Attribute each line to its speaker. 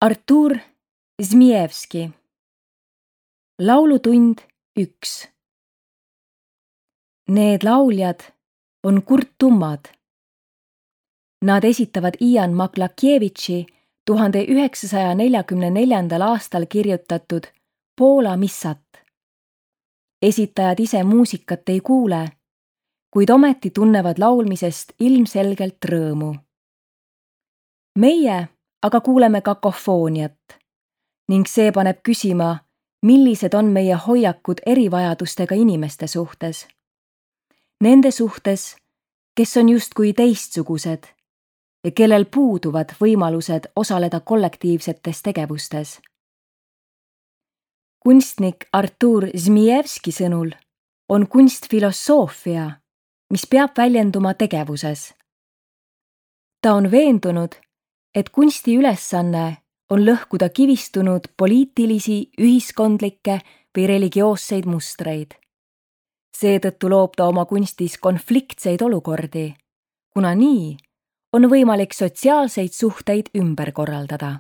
Speaker 1: Artur Zmijevski. Laulutund 1. Need lauljad on kurttummad. Nad esitavad Ian Maklakiewiczi 1944. aastal kirjutatud Poola missat. Esitajad ise muusikat ei kuule, kuid ometi tunnevad laulmisest ilmselgelt rõõmu. Meie aga kuuleme kakofooniat ning see paneb küsima, millised on meie hoiakud erivajadustega inimeste suhtes. Nende suhtes, kes on justkui teistsugused ja kellel puuduvad võimalused osaleda kollektiivsetes tegevustes. Kunstnik Artur Zmijevski sõnul on kunst filosoofia, mis peab väljenduma tegevuses. Ta on veendunud, et kunsti ülesanne on lõhkuda kivistunud poliitilisi, ühiskondlikke või religioosseid mustreid. Seetõttu loob ta oma kunstis konfliktseid olukordi, kuna nii on võimalik sotsiaalseid suhteid ümber korraldada.